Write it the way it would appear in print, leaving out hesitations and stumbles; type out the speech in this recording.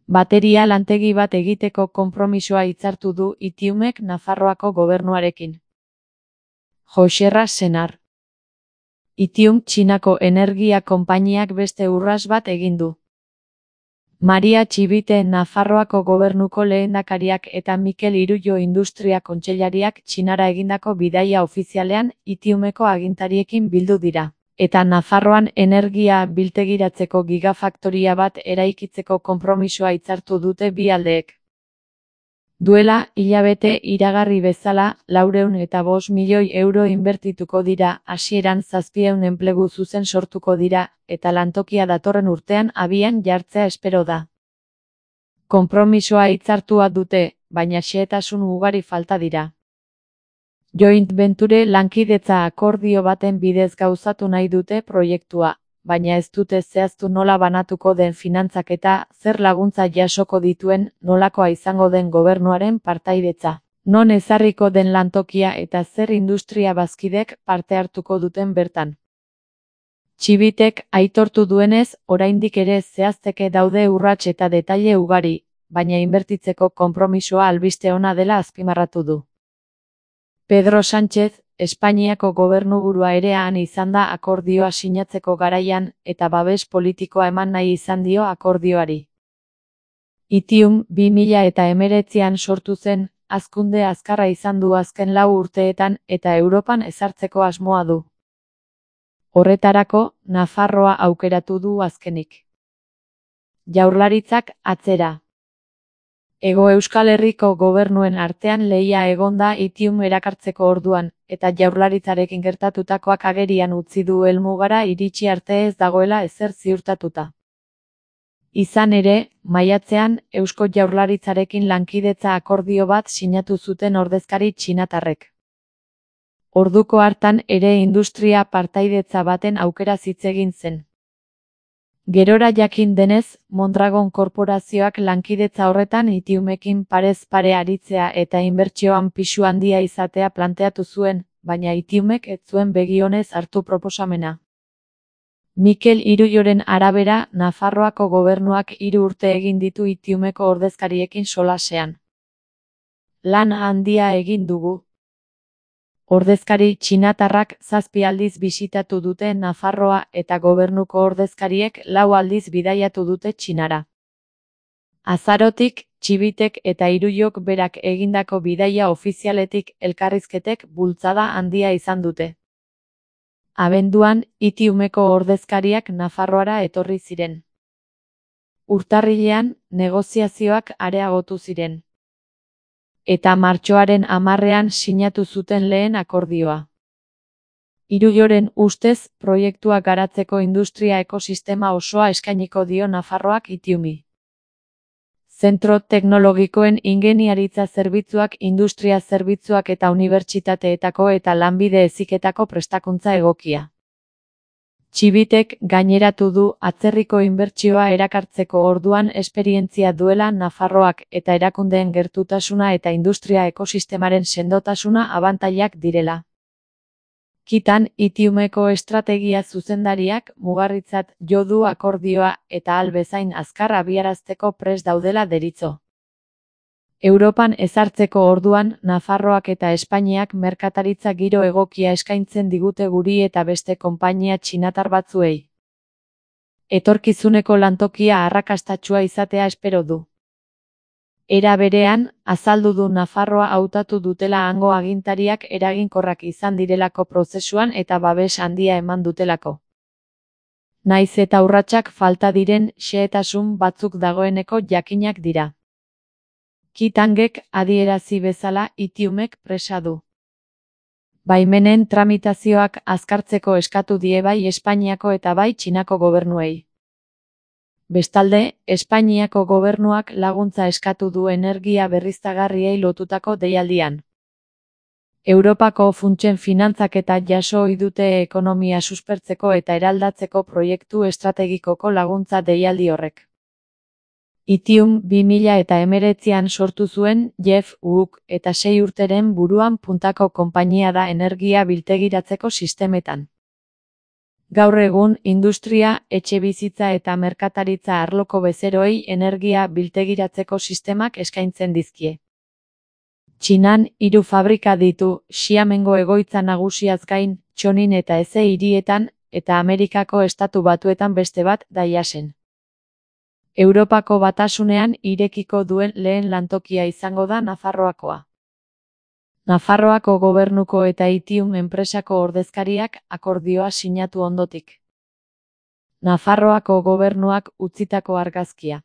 Bateria lantegi bat egiteko konpromisoa hitzartu du Itiumek Nafarroako gobernuarekin. Joxerra Senar. Itium Txinako energia konpainiak beste urrats bat egin du. Maria Txibite Nafarroako gobernuko lehendakariak eta Mikel Irullo industria kontseilariak Txinara egindako bidaia ofizialean Itiumeko agintariekin bildu dira. Eta Nafarroan energia biltegiratzeko gigafaktoria bat eraikitzeko konpromisoa hitzartu dute bi aldeek. Duela hilabete iragarri bezala 405 milioi euro inbertituko dira, hasieran 700 enplegu zuzen sortuko dira, eta lantokia datorren urtean abian jartzea espero da. Konpromisoa hitzartua dute, baina xehetasun ugari falta dira. Joint Venture lankidetza akordio baten bidez gauzatu nahi dute proiektua, baina ez dute zehaztu nola banatuko den finantzaketa, zer laguntza jasoko dituen, nolakoa izango den gobernuaren partaidetza, non ezarriko den lantokia eta zer industria bazkidek parte hartuko duten bertan. Txibitek aitortu duenez, oraindik ere zehazteke daude urrats eta detaile ugari, baina inbertitzeko konpromisoa albiste ona dela azpimarratu du. Pedro Sánchez, Espainiako gobernuburua ere han izan da akordioa sinatzeko garaian, eta babes politikoa eman nahi izan dio akordioari. Itium 2019an sortu zen, hazkunde azkarra izan du azken 4 urteetan eta Europan ezartzeko asmoa du. Horretarako, Nafarroa aukeratu du azkenik. Jaurlaritzak atzera. Hego Euskal Herriko gobernuen artean lehia egon da Itium erakartzeko orduan, eta jaurlaritzarekin gertatutakoak agerian utzi du helmugara iritsi arte ez dagoela ezer ziurtatuta. Izan ere, maiatzean, Eusko Jaurlaritzarekin lankidetza akordio bat sinatu zuten ordezkari txinatarrek. Orduko hartan ere industria partaidetza baten aukera hitz egin zen. Gerora jakin denez, Mondragon korporazioak lankidetza horretan Itiumekin parez pare aritzea eta inbertsioan pisu handia izatea planteatu zuen, baina Itiumek ez zuen begionez hartu proposamena. Mikel Irulloren arabera, Nafarroako gobernuak 3 urte egin ditu Itiumeko ordezkariekin solasean. Lan handia egin dugu. Ordezkari txinatarrak 7 aldiz bisitatu dute Nafarroa eta gobernuko ordezkariek 4 aldiz bidaiatu dute Txinara. Azarotik, Txibitek eta Irullok berak egindako bidaia ofizialetik elkarrizketek bultzada handia izan dute. Abenduan, Itiumeko ordezkariak Nafarroara etorri ziren. Urtarrilean, negoziazioak areagotu ziren. Eta martxoaren 10ean sinatu zuten lehen akordioa. Irulloren ustez, proiektua garatzeko industria ekosistema osoa eskainiko dio Nafarroak Itiumi. Zentro teknologikoen ingeniaritza zerbitzuak, industria zerbitzuak eta unibertsitateetako eta lanbide heziketako prestakuntza egokia. Txibitek gaineratu du atzerriko inbertsioa erakartzeko orduan esperientzia duela Nafarroak eta erakundeen gertutasuna eta industria ekosistemaren sendotasuna abantailak direla. Kitan, Itiumeko estrategia zuzendariak mugarritzat jo du akordioa eta ahal bezain azkar abiarazteko prest daudela deritzo. Europan ezartzeko orduan, Nafarroak eta Espainiak merkataritza giro egokia eskaintzen digute guri eta beste konpainia txinatar batzuei. Etorkizuneko lantokia arrakastatsua izatea espero du. Era berean, azaldu du Nafarroa hautatu dutela hango agintariak eraginkorrak izan direlako prozesuan eta babes handia eman dutelako. Naiz eta urratsak falta diren, xehetasun batzuk dagoeneko jakinak dira. Kitangek adierazi bezala Itiumek presa du. Baimenen tramitazioak azkartzeko eskatu die bai Espainiako eta bai Txinako gobernuei. Bestalde, Espainiako gobernuak laguntza eskatu du energia berriztagarriei lotutako deialdian. Europako funtsen finantzaketa jaso ohi dute ekonomia suspertzeko eta eraldatzeko proiektu estrategikoko laguntza deialdi horrek. Itium 2019an sortu zuen Jeff Wook eta 6 urteren buruan puntako konpainia da energia biltegiratzeko sistemetan. Gaur egun, industria, etxebizitza eta merkataritza arloko bezeroei energia biltegiratzeko sistemak eskaintzen dizkie. Txinan, 3 fabrika ditu, Xiamengo egoitza nagusiaz gain, Txonin eta Eze hirietan, eta Amerikako Estatu Batuetan beste bat, Dallasen. Europako Batasunean irekiko duen lehen lantokia izango da Nafarroakoa. Nafarroako gobernuko eta Itium enpresako ordezkariak akordioa sinatu ondotik. Nafarroako gobernuak utzitako argazkia.